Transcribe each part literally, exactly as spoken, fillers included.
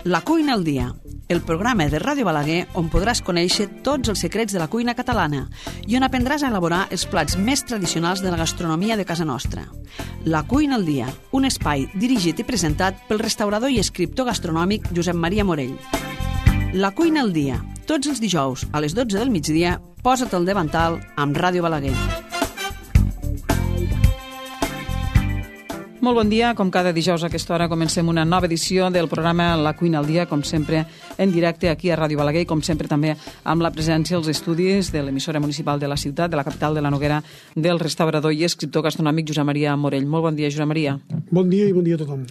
La cuina al dia, el programa de Ràdio Balaguer on podràs conèixer tots els secrets de la cuina catalana i on aprendràs a elaborar els plats més tradicionals de la gastronomia de casa nostra. La cuina al dia, un espai dirigit i presentat pel restaurador i escriptor gastronòmic Josep Maria Morell. La cuina al dia, tots els dijous a les dotze del migdia, posa't al davantal amb Ràdio Balaguer. Molt bon dia, com cada dijous a aquesta hora comencem una nova edició del programa La cuina al dia, com sempre en directe aquí a Ràdio Balaguer i com sempre també amb la presència als estudis de l'emissora municipal de la ciutat, de la capital de la Noguera, del restaurador i escriptor gastronòmic Josep Maria Morell. Molt bon dia, Josep Maria. Bon dia i bon dia a tothom.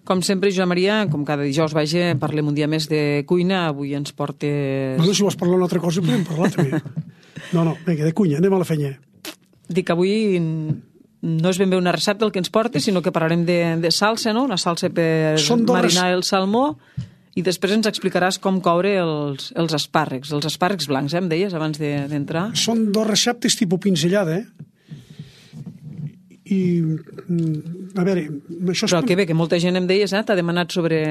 Com sempre, Josep Maria, com cada dijous, vaja, parlem un dia més de cuina. Avui ens portes... Bueno, si vols parlar una altra cosa, podem parlar també. No, no, vinga, de cuina, anem a la feina. Dic que avui no és ben bé una recepta el que ens portes, sinó que parlarem de, de salsa, no? Una salsa per marinar el salmó, i després ens explicaràs com coure els, els espàrrecs, els espàrrecs blancs, eh, em deies, abans d'entrar. De, Són dos receptes tipus pinzellada, eh? I, a veure... Això Però és... que bé, que molta gent em deies, eh, t'ha demanat sobre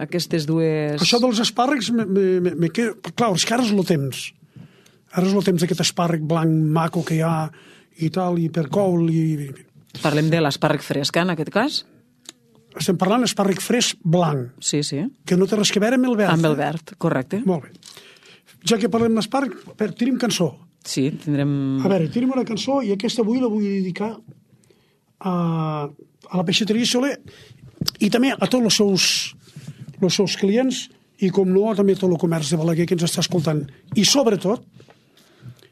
aquestes dues... Això dels espàrrecs, me, me, me, me queda... Clar, és que ara és el temps. Ara és el temps d'aquest espàrrec blanc maco que hi ha i tal, i per coure, i... Parlem de l'espàrrec fresc, en aquest cas? Estem parlant d'espàrrec fresc blanc. Sí, sí. Que no té res que veure amb el verd. Amb el verd, correcte. Molt bé. Ja que parlem d'espàrrec, tenim cançó. Sí, tindrem... A veure, tenim una cançó i aquesta avui la vull dedicar a, a la peixateria Soler i també a tots els seus, els seus clients i, com no, també a tot el comerç de Balaguer que ens està escoltant. I sobretot,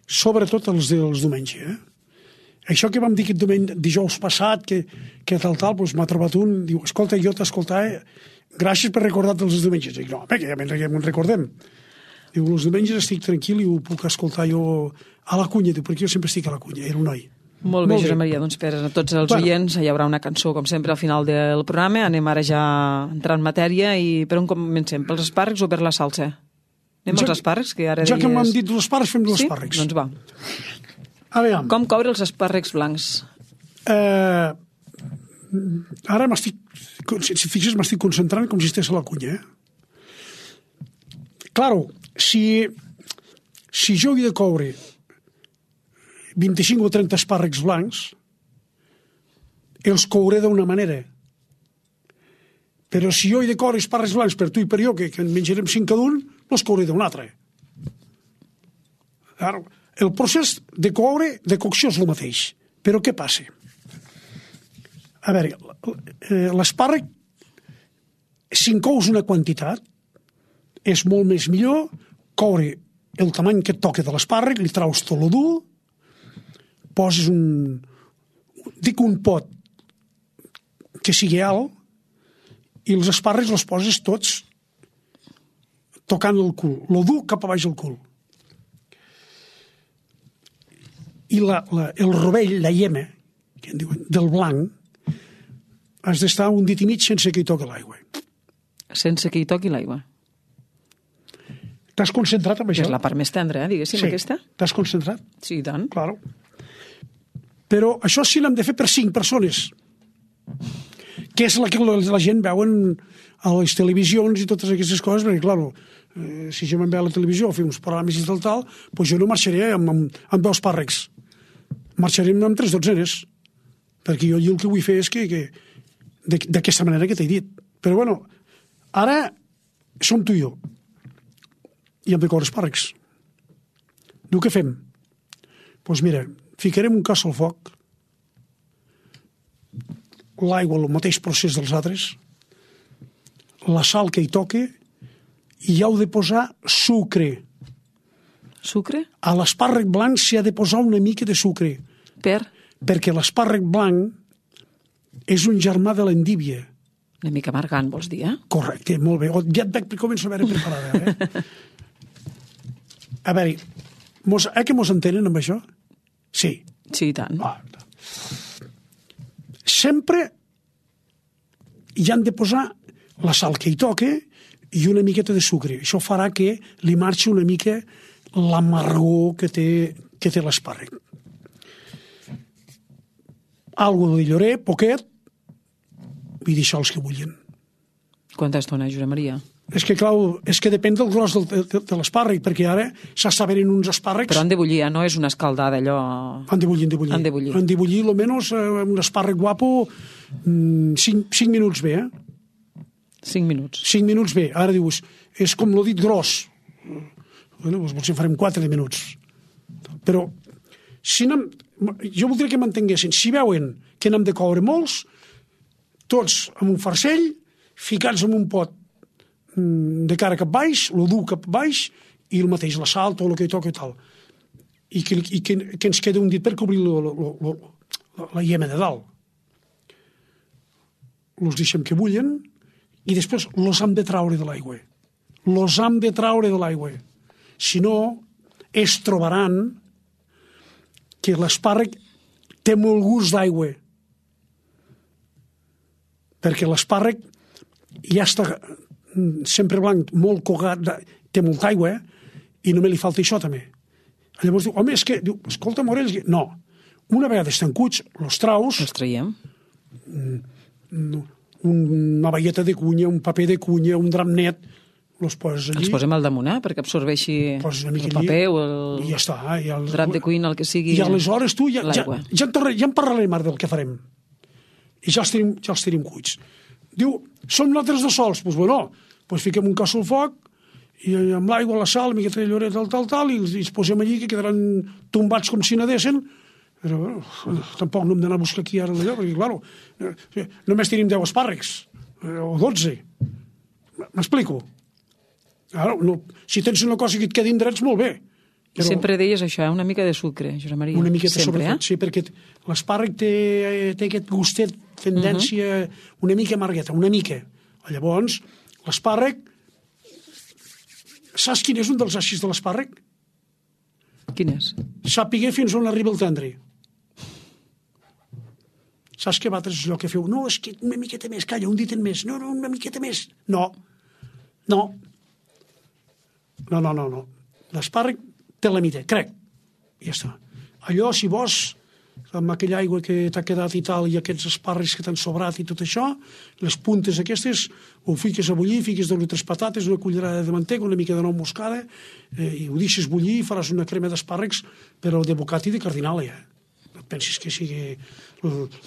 sobretot els dels diumenge, eh? Això que vam dir aquest diumenge, dijous passat, que, que tal, tal, doncs m'ha trobat un, diu, escolta, jo t'escoltava, gràcies per recordar-te els diumenges. Dic, no, bé, que ja me'n recordem. Diu, els diumenges estic tranquil i ho puc escoltar jo a la cunya, diu, perquè jo sempre estic a la cunya, era un noi. Molt bé, Josep Maria, doncs per a tots els bueno. oients hi haurà una cançó, com sempre, al final del programa. Anem ara ja a entrar en matèria i per on comencem? Pels espàrrecs o per la salsa? Anem ja, als espàrrecs, que ara ja deies... que m'han dit els espàrrecs, fem els sí? espàrrecs. Doncs va. Aviam. Com coure els espàrrecs blancs? Eh, ara m'estic, si et fixes, m'estic concentrant com si estigués a la cunya. Eh? Claro, si, si jo he de coure vint-i-cinc o trenta espàrrecs blancs, els couré d'una manera. Però si jo he de coure espàrrecs blancs per tu i per jo, que, que en menjarem cinc cada un, els couré d'una altra. Claro. El procés de coure, de cocció és el mateix. Però què passa? A veure, l'espàrrec, si en cous una quantitat, és molt més millor coure el tamany que et toca de l'espàrrec, li traus tot el dur, poses un... dic un pot que sigui alt, i els espàrrecs els poses tots tocant el cul, el dur cap a baix el cul. I la, la, el rovell, la llema, que en diuen, del blanc, has d'estar un dit i mig sense que hi toqui l'aigua. Sense que hi toqui l'aigua. T'has concentrat en això? És la part més tendra, eh, diguéssim, sí. Aquesta. T'has concentrat? Sí, i tant. Claro. Però això sí l'hem de fer per cinc persones, que és la que la gent veuen a les televisions i totes aquestes coses, perquè, clar, eh, si jo me'n ve a la televisió o fer uns programes i tal, tal, doncs jo no marxaré amb, amb, amb dos espàrrecs. Marxarem amb tres dotzenes, perquè jo el que vull fer és que, que d'aquesta manera que t'he dit. Però, bueno, ara som tu i jo, i hem de coure espàrrecs. Diu, què fem? Doncs mira, ficarem un cas al foc, l'aigua, el mateix procés dels altres, la sal que hi toca, i hi heu de posar sucre. Sucre? A l'espàrrec blanc s'hi ha de posar una mica de sucre. Per? Perquè l'espàrrec blanc és un germà de l'endívia. Una mica amargant, vols dir, eh? Correcte, molt bé. Ja et veig que començo a veure preparada, eh? A veure, mos, eh que mos entenen amb això? Sí. Sí, i tant. Ah, sempre hi han de posar la sal que hi toca i una miqueta de sucre. Això farà que li marxi una mica l'amargor que té, que té l'espàrrec. Algo de llorer, poquet, i deixar els que bullin. Quanta estona, Josep Maria? És que, clar, és que depèn del gros del, de, de l'espàrrec, perquè ara s'està venint uns espàrrecs... Però han de bullir, no és una escaldada, allò... Han de bullir, han de bullir. Han de bullir. Han de bullir, almenys, eh, un espàrrec guapo, cinc, cinc minuts bé, eh? Cinc minuts. Cinc minuts bé. Ara dius, és com l'ho dit gros. Bueno, doncs potser farem quatre minuts. Però, si anem, jo voldria que m'entenguessin. Si veuen que n'hem de coure molts, tots amb un farcell, ficats en un pot de cara cap baix, lo dur cap baix, i el mateix, la sal, tot el que hi toca i tal. I que, i que, que ens queda un dit per cobrir lo, lo, lo, lo, la llema de dalt. Los deixem que bullen i després los hem de traure de l'aigua. Los hem de traure de l'aigua. Si no, es trobaran que l'espàrrec té molt gust d'aigua. Perquè l'espàrrec ja està sempre blanc, molt cogat, té molta aigua, eh? I només li falta això també. Llavors diu, home, és que, diu, escolta, Morells, no, una vegada estan cuits, los traus... Els traiem. Una baieta de cunya, un paper de cunya, un drap net, els poses allí. Els posem al damunt, eh? Perquè absorbeixi el paper o el, i ja està, eh? I el drap de cuina, el que sigui. I aleshores tu ja, ja, ja, en, ja en parlarem ara del que farem. I ja els tenim, ja els tenim cuits. Diu, som nosaltres de sols? Doncs, pues, bueno, pues fiquem un casso al foc, i amb l'aigua, la sal, una miqueta de lloret, tal, tal, tal, i els posem allí, que quedaran tombats com si nedessin. Però, bueno, tampoc no hem d'anar a buscar aquí ara allò, perquè, clar, només tenim deu espàrrecs, o dotze. M'explico? Ara, no, si tens una cosa que et quedin drets, molt bé. Però sempre deies això, una mica de sucre, Josep Maria. Una miqueta sempre, sobretot, eh? Sí, perquè l'espàrrec té, té aquest gustet, tendència, uh -huh. una mica amargueta, una mica. Llavors, l'espàrrec, saps quin és un dels eixis de l'espàrrec? Quin és? Sàpiguer fins on arriba el tendre. Saps que vosaltres és allò que feu? No, és que una miqueta més, calla, un dit en més. No, no, una miqueta més. No, no. No, no, no, no. L'espàrrec té la mida, crec. I ja està. Allò, si vols, amb aquella aigua que t'ha quedat i tal, i aquests espàrrecs que t'han sobrat i tot això, les puntes aquestes, ho fiques a bullir, fiques dues o tres patates, una cullerada de mantega, una mica de nou moscada, eh, i ho deixes bullir i faràs una crema d'espàrrecs, però de bocat i de cardinàlia. No pensis que sigui...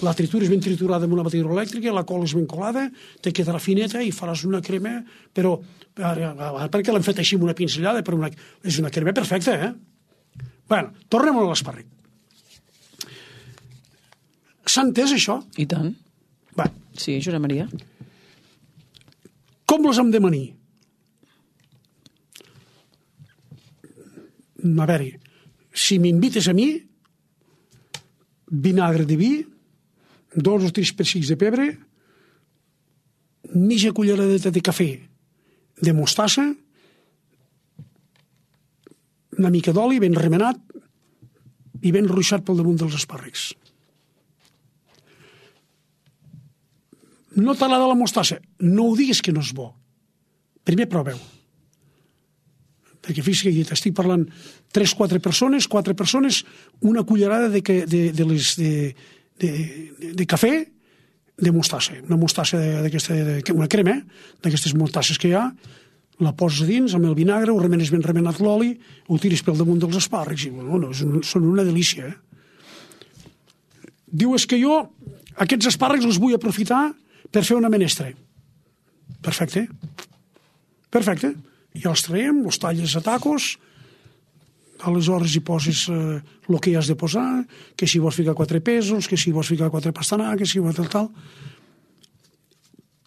La tritura és ben triturada amb una batidora elèctrica, la cola és ben colada, te quedarà fineta i faràs una crema, però ara, ara perquè l'hem fet així amb una pinzellada, però una, és una crema perfecta, eh? Bueno, tornem a l'espàrrec. S'ha entès, això? I tant. Va. Sí, Josep Maria. Com les hem de manir? A veure, si m'invites a mi, vinagre de vi, dos o tres pessics de pebre, mitja culleradeta de cafè de mostassa, una mica d'oli ben remenat i ben ruixat pel damunt dels espàrrecs. No t'agrada la mostassa? No ho diguis que no és bo. Primer proveu. Perquè fixa't que t'estic parlant tres, quatre persones, quatre persones, una cullerada de, de, de, les, de, de, de, de cafè de mostassa. Una mostassa d'aquesta, una crema, d'aquestes mostasses que hi ha, la poses a dins amb el vinagre, ho remenes ben remenat l'oli, ho tires pel damunt dels espàrrecs i bueno, són una delícia. Eh? Diu, és que jo aquests espàrrecs els vull aprofitar per fer una menestra. Perfecte. Perfecte. I els traiem, els talles a tacos, aleshores hi poses eh, el que hi has de posar, que si vols ficar quatre pèsols, que si vols ficar quatre pastanagues, que si vols tal, tal.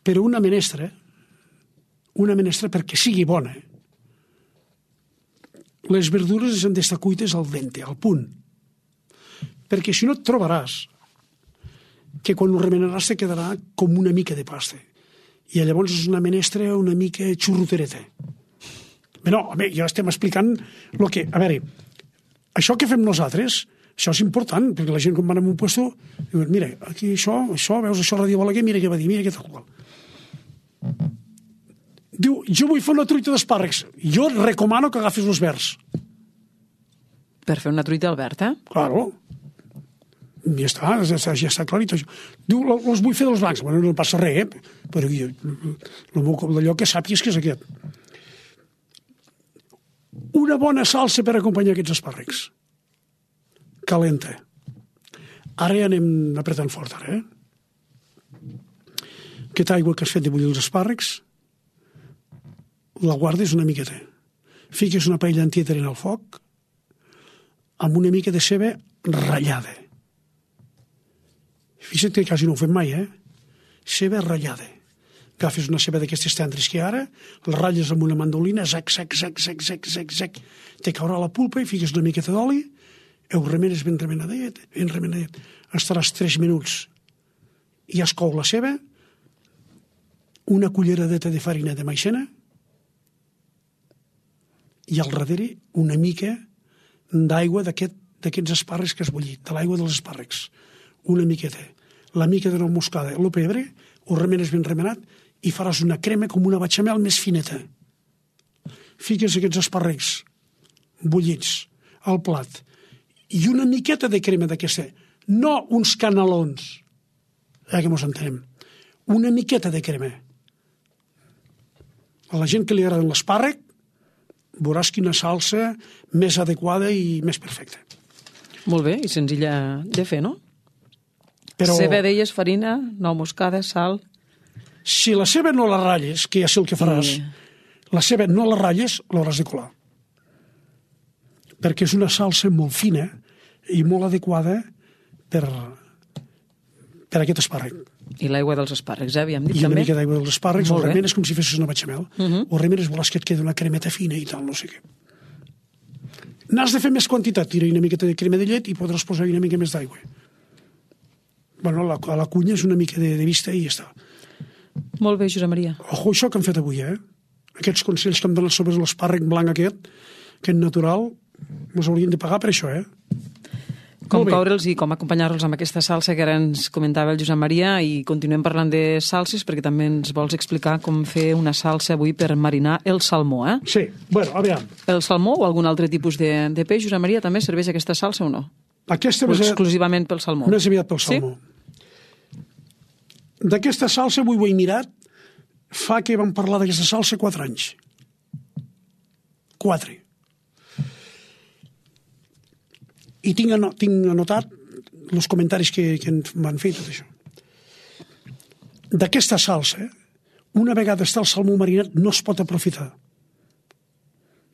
Però una menestra, una menestra perquè sigui bona. Les verdures han d'estar cuites al dente, al punt. Perquè si no et trobaràs que quan ho remenaràs te quedarà com una mica de pasta. I llavors és una menestra una mica xurrotereta. Bé, no, home, ja estem explicant el que... A veure, això que fem nosaltres, això és important, perquè la gent quan va a un puesto diu, mira, aquí això, això, veus això a Ràdio Balaguer, mira què va dir, mira què tal qual. Diu, jo vull fer una truita d'espàrrecs. Jo recomano que agafis els verds. Per fer una truita al verd, eh? Claro. ja està, ja està, ja està clarit. Diu, els vull fer dels blancs. Bueno, no passa res, eh? Però jo, el meu cop d'allò que sàpies que és aquest. Una bona salsa per acompanyar aquests espàrrecs. Calenta. Ara ja anem apretant fort, ara, eh? Aquesta aigua que has fet de bullir els espàrrecs, la guardes una miqueta. Fiques una paella entieta en el foc amb una mica de ceba ratllada. Fixa't que quasi no ho fem mai, eh? Ceba ratllada. Agafes una ceba d'aquestes tendres que ara, la ratlles amb una mandolina, zac, zac, zac, zac, zac, zac, zac, te caurà la pulpa i fiques una miqueta d'oli, ho remenes ben remenadet, ben remenadet. Estaràs tres minuts i ja es cou la ceba, una culleradeta de farina de maicena i al darrere una mica d'aigua d'aquests espàrrecs que has bullit, de l'aigua dels espàrrecs. Una miqueta. La mica de nou moscada, el pebre, ho remenes ben remenat i faràs una crema com una bechamel més fineta. Fiques aquests espàrrecs bullits al plat i una miqueta de crema d'aquesta, no uns canelons, ja que mos entenem, una miqueta de crema. A la gent que li agrada l'espàrrec, veuràs quina salsa més adequada i més perfecta. Molt bé, i senzilla de fer, no? Però ceba, deies, farina, nou moscada, sal... si la ceba no la ratlles, que ja sé el que faràs, Sí. la ceba no la ratlles, l'hauràs de colar. Perquè és una salsa molt fina i molt adequada per, per aquest espàrrec. I l'aigua dels espàrrecs, eh? Havíem dit I una també. mica d'aigua dels espàrrecs, Molt ho bé. remenes com si fessis una bechamel. Mhm. Ho remenes, volàs que et quedi una cremeta fina i tal, no sé què. N'has de fer més quantitat, tira una miqueta de crema de llet i podràs posar una mica més d'aigua. Bueno, a la, a la cunya és una mica de, de vista i ja està. Molt bé, Josep Maria. Ojo, això que hem fet avui, eh? Aquests consells que hem donat sobre l'espàrrec blanc aquest, aquest natural, ens haurien de pagar per això, eh? Com Molt bé. coure'ls i com acompanyar-los amb aquesta salsa que ara ens comentava el Josep Maria, i continuem parlant de salses perquè també ens vols explicar com fer una salsa avui per marinar el salmó, eh? Sí, bueno, a veure, El salmó o algun altre tipus de, de peix, Josep Maria, també serveix aquesta salsa o no? aquesta O més, exclusivament pel salmó? més aviat pel salmó. D'aquesta salsa avui ho he mirat, fa que vam parlar d'aquesta salsa quatre anys. Quatre. I tinc, anot, tinc anotat els comentaris que, que m'han fet tot això. D'aquesta salsa, una vegada està el salmó marinat, no es pot aprofitar.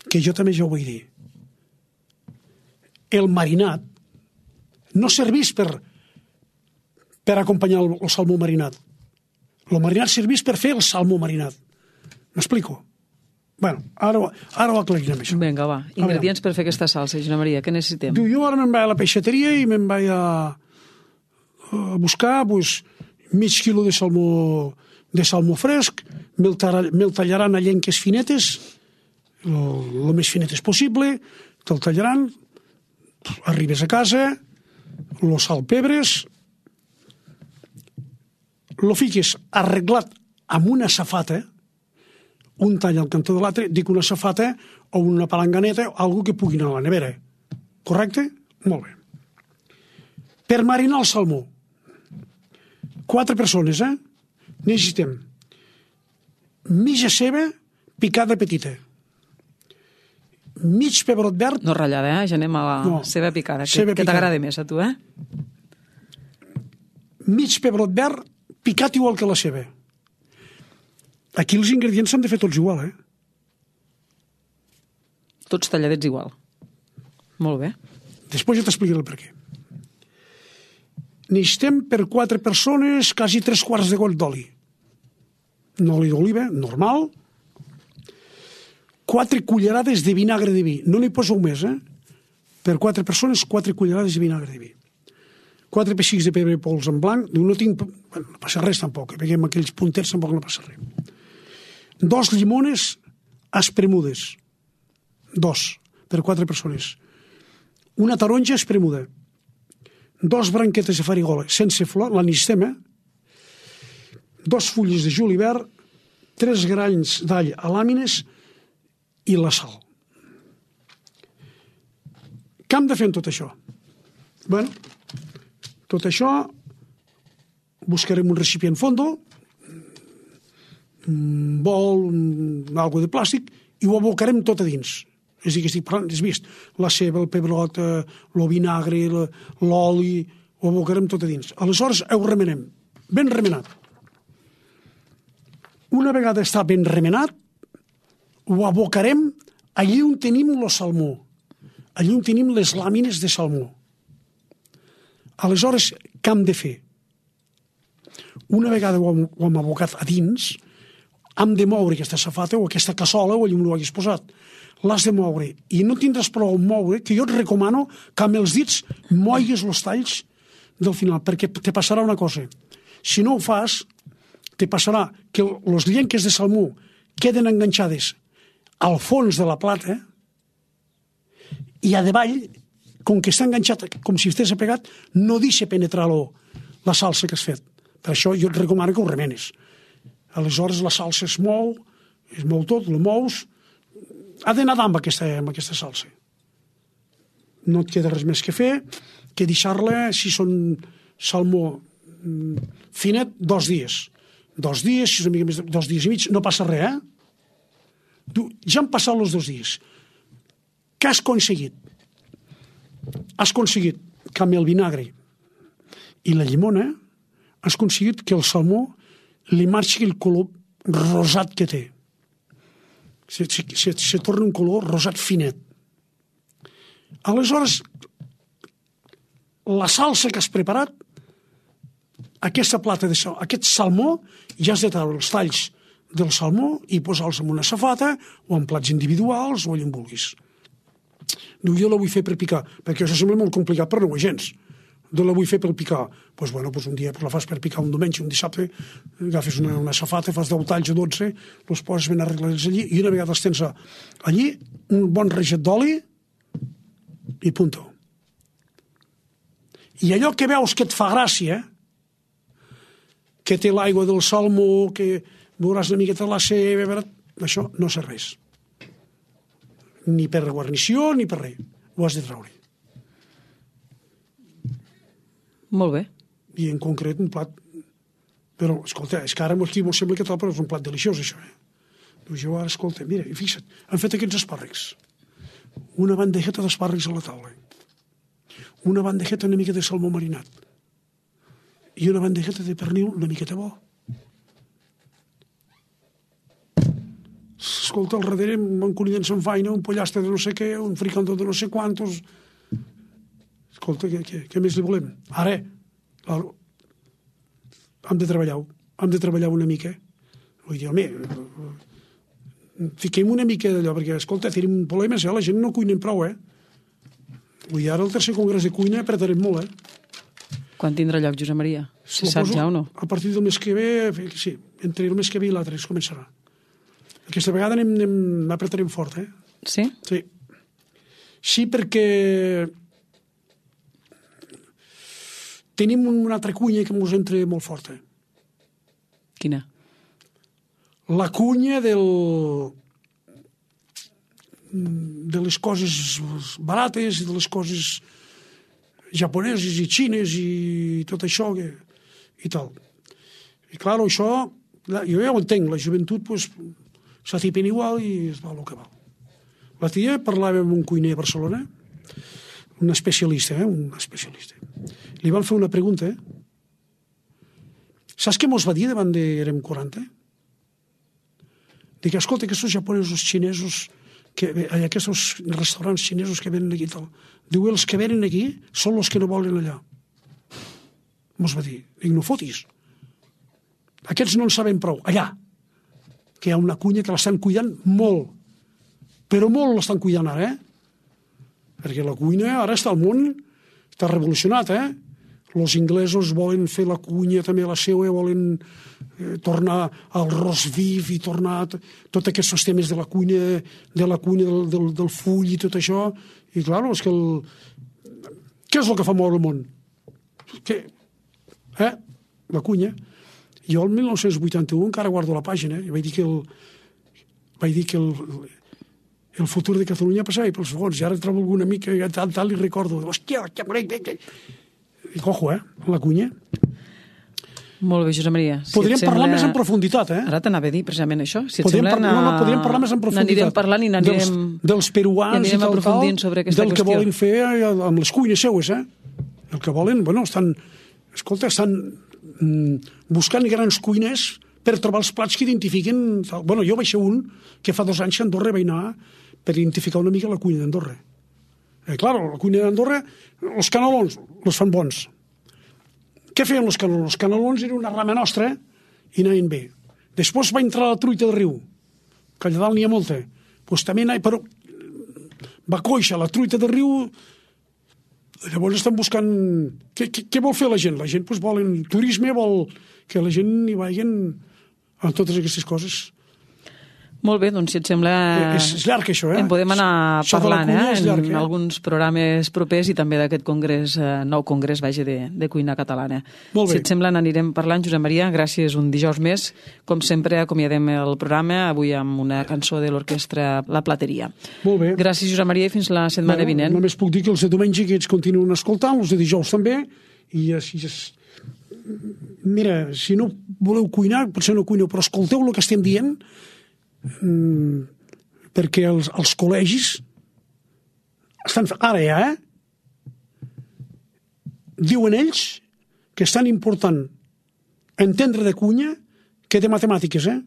Que jo també ja ho vull dir. El marinat no serveix per, per acompanyar el, el salmó marinat. El marinat serveix per fer el salmó marinat. M'explico? Bueno, ara, ara ho aclarirem, això. Vinga, va. Ingredients per fer aquesta salsa, Josep Maria, què necessitem? Diu, jo ara me'n vaig a la peixateria i me'n vaig a, a buscar pues, mig quilo de salmó, de salmó fresc, me'l tall- me'l tallaran a llenques finetes, el més finetes possible, te'l tallaran, arribes a casa, lo salpebres, lo fiques arreglat amb una safata, un tall al cantó de l'altre, dic una safata o una palanganeta, o algo que pugui anar a la nevera. Correcte? Molt bé. Per marinar el salmó, quatre persones, eh? Necessitem mitja ceba picada petita, mig pebrot verd, No ratllada, eh? Ja anem a la No. ceba picada, que, Ceba que picada. t'agrada més a tu, eh? mig pebrot verd picat igual que la ceba. Aquí els ingredients s'han de fer tots igual, eh? Tots talladets igual. Molt bé. Després ja t'explicaré el per què. Necessitem per quatre persones quasi tres quarts de goll d'oli. Un oli d'oliva, normal. Quatre cullerades de vinagre de vi. No n'hi poseu més, eh? Per quatre persones, quatre cullerades de vinagre de vi. Quatre pessics de pebre pols en blanc. No tinc... Bueno, no passa res tampoc, eh? Perquè amb aquells punters tampoc no passa res. Dos llimones espremudes. Dos, per quatre persones. Una taronja espremuda. Dos branquetes de farigola sense flor, la necessitem, eh? Dos fulles de julivert, tres grans d'all a làmines i la sal. Què hem de fer amb tot això? Bueno, Tot això, buscarem un recipient fondo, un bol, un, algo de plàstic, i ho abocarem tot a dins. És a dir, que estic parlant, has vist, la ceba, el pebrot, el vinagre, l'oli, ho abocarem tot a dins. Aleshores, ho remenem, ben remenat. Una vegada està ben remenat, ho abocarem allí on tenim el salmó, allí on tenim les làmines de salmó. Aleshores, què hem de fer? Una vegada ho hem, ho hem abocat a dins, hem de moure aquesta safata o aquesta cassola o allà on ho hagués posat. L'has de moure i no tindràs prou a moure, que jo et recomano que amb els dits moigues els talls del final, perquè te passarà una cosa. Si no ho fas, te passarà que les llenques de salmó queden enganxades al fons de la plata i a davall, com que està enganxat com si estigués pegat, no deixa penetrar la salsa que has fet. Per això jo et recomano que ho remenes. Aleshores la salsa es mou, es mou tot, la mous, ha d'anar amb aquesta, amb aquesta salsa. No et queda res més que fer que deixar-la, si són salmó finet, dos dies. Dos dies, si és una mica més de dos dies i mig, no passa res, eh? Tu, ja han passat els dos dies. Què has aconseguit? Has aconseguit que amb el vinagre i la llimona has aconseguit que el salmó li marxi el color rosat que té. Se, se, se, se torna un color rosat finet. Aleshores, la salsa que has preparat, aquesta plata de sal, aquest salmó, ja has de treure els talls del salmó i posar-los en una safata o en plats individuals o allà on vulguis. Diu, jo la vull fer per picar, perquè això sembla molt complicat per no ho gens. De la vull fer per picar. Doncs pues, bueno, pues un dia pues la fas per picar un diumenge, un dissabte, agafes una, una safata, fas deu talls o dotze, els poses ben arreglats allí, i una vegada els tens allí, un bon reget d'oli i punto. I allò que veus que et fa gràcia, que té l'aigua del salmó, que veuràs una miqueta la ceba, això no serveix. Ni per guarnició ni per res. Ho has de treure. Molt bé. I en concret un plat... Però, escolta, és que ara aquí m'ho sembla que tal, però és un plat deliciós, això, eh? Doncs jo ara, escolta, mira, fixa't, han fet aquests espàrrecs. Una bandejeta d'espàrrecs a la taula. Una bandejeta una mica de salmó marinat. I una bandejeta de pernil una miqueta bo. Escolta, al darrere un conident se'n faina, un pollastre de no sé què, un fricandó de no sé quantos... Escolta, què, què, què més li volem? Ara, claro, hem de treballar-ho, hem de treballar una mica. Vull dir, home, fiquem una mica d'allò, perquè, escolta, tenim problemes, eh? La gent no cuinem prou, eh? Vull dir, ara el tercer congrés de cuina apretarem molt, eh? Quan tindrà lloc, Josep Maria? Si saps ja o no? A partir del mes que ve, sí, entre el mes que ve i l'altre es començarà. Aquesta vegada anem, anem, apretarem fort, eh? Sí? Sí. Sí, perquè... tenim una altra cunya que ens entra molt forta. Quina? La cunya del... de les coses barates, de les coses japoneses i xines i tot això que... i tal. I clar, això, jo ja ho entenc, la joventut pues, s'atipen igual i es va el que val. La tia parlava amb un cuiner a Barcelona, un especialista, eh? un especialista. Li van fer una pregunta, eh? Saps què mos va dir davant de érem quaranta? Dic, escolta, aquests japonesos xinesos, que, aquests restaurants xinesos que venen aquí i tal, diu, els que venen aquí són els que no volen allà. Mos va dir, dic, no fotis. Aquests no en saben prou, allà, que hi ha una cunya que l'estan cuidant molt, però molt l'estan cuidant ara, eh? Perquè la cuina ara està al món, està revolucionat, eh? Els inglesos volen fer la cuina també la seva, volen eh, tornar al roast beef i tornar tots aquests temes de la cuina, de la cuina del, del, del full i tot això. I clar, és que el... què és el que fa moure el món? Què? Eh? La cuina. Jo el mil nou-cents vuitanta-u encara guardo la pàgina, i vaig dir que el... vaig dir que el... el futur de Catalunya passava pels segons, i ara trobo alguna mica, i tal, tal, i recordo, hòstia, hòstia, I cojo, eh, la cunya. Molt bé, Josep Maria. Si podríem sembla... parlar més en profunditat, eh? Ara t'anava a dir precisament això. Si et podríem sembla, par... no, no, podríem parlar més en profunditat. N'anirem parlant i n'anirem... Dels, dels peruans i, i tal, tal, sobre aquesta del qüestió. que volen fer amb les cuines seues, eh? El que volen, bueno, estan... Escolta, estan mm, buscant grans cuines per trobar els plats que identifiquen... Tal. Bueno, jo vaig ser un que fa dos anys a Andorra vaig anar per identificar una mica la cuina d'Andorra. Eh, claro, la cuina d'Andorra, els canelons els fan bons. Què feien els canelons? Els canelons eren una rama nostra i anaven bé. Després va entrar la truita del riu, que allà dalt n'hi ha molta. Pues també anava, però va coixa la truita del riu. Llavors estan buscant... Què, què, què vol fer la gent? La gent pues, vol turisme, vol que la gent hi vagin a totes aquestes coses. Molt bé, doncs si et sembla... És, és llarg, això, eh? En podem anar això parlant, eh? Llarg, en eh? alguns programes propers i també d'aquest congrés, eh, nou congrés, vaja, de, de cuina catalana. Molt bé. Si et sembla, n'anirem parlant. Josep Maria, gràcies un dijous més. Com sempre, acomiadem el programa, avui amb una cançó de l'orquestra La Plateria. Molt bé. Gràcies, Josep Maria, i fins la setmana bueno, vinent. Només puc dir que els de diumenge que ets continuen escoltant, els de dijous també, i així és... Mira, si no voleu cuinar, potser no cuineu, però escolteu el que estem dient, mm, perquè els, els col·legis estan... Ara ja, eh? Diuen ells que és tan important entendre de cuina que de matemàtiques, eh?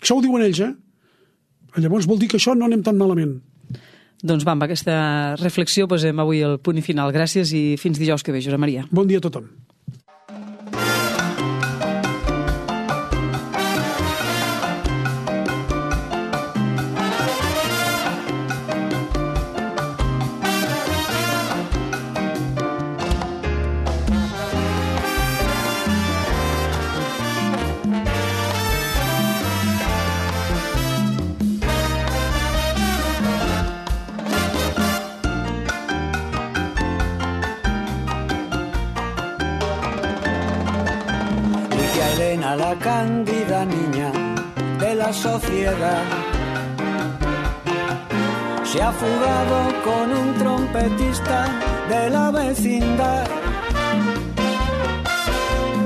Això ho diuen ells, eh? Llavors vol dir que això no anem tan malament. Doncs va, amb aquesta reflexió posem avui el punt i final. Gràcies i fins dijous que ve, Josep Maria. Bon dia a tothom. A la cándida niña de la sociedad se ha fugado con un trompetista de la vecindad.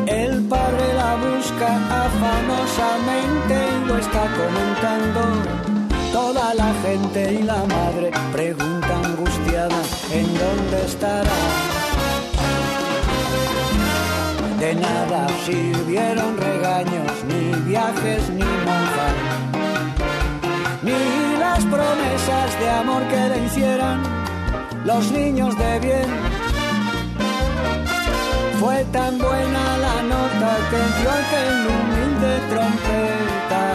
El padre la busca afanosamente y lo está comentando toda la gente, y la madre pregunta angustiada en dónde estará. De nada sirvieron regaños, ni viajes, ni monjas, ni las promesas de amor que le hicieran los niños de bien. Fue tan buena la nota que dio aquel humilde trompeta,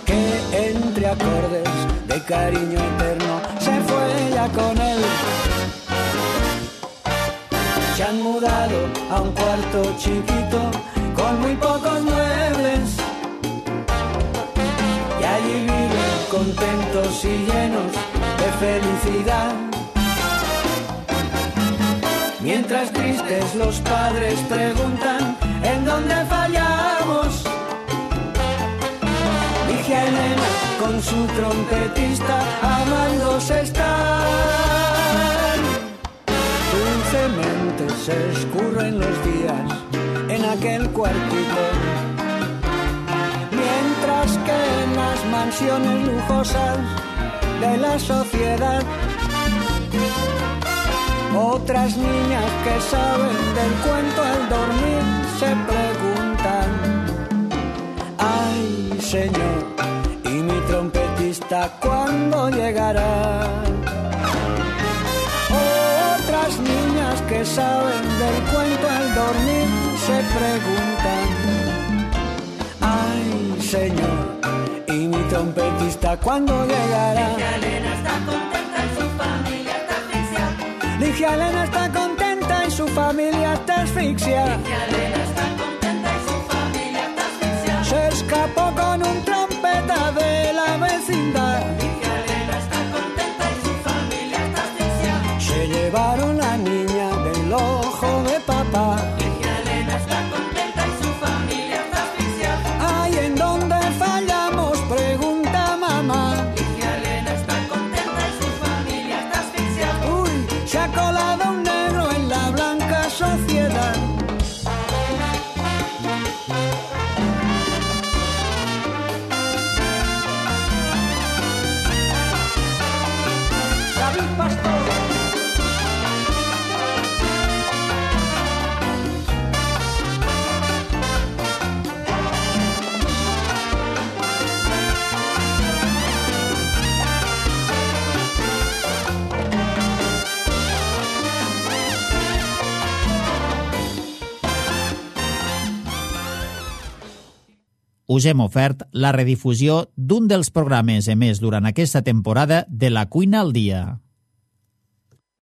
que entre acordes de cariño eterno se fue ya con él. Se han mudado a un cuarto chiquito con muy pocos muebles y allí viven contentos y llenos de felicidad. Mientras tristes los padres preguntan en dónde fallamos, dije a Elena con su trompetista amándose están. Dulcemente se escurren los días en aquel cuartito, mientras que en las mansiones lujosas de la sociedad otras niñas que saben del cuento al dormir se preguntan: ay señor, ¿y mi trompetista cuándo llegará? Otras niñas que saben del cuento al dormir se preguntan: ay señor, ¿y mi trompetista cuándo llegará? Ligia Elena está contenta y su familia está asfixia. Ligia Elena está contenta y su familia está asfixia. Ligia Elena está contenta y su familia está asfixia. Se escapó con un trompeta de la vecindad. Ligia Elena está contenta y su familia está asfixia. Se llevaron la niña del ojo de papá. Ligia Elena está contenta y su familia está asfixia. Ay, ¿en dónde fallamos? Pregunta mamá. Ligia Elena está contenta y su familia está asfixia. Uy, se ha colado un negro us hem ofert la redifusió d'un dels programes emès durant aquesta temporada de La Cuina al Dia.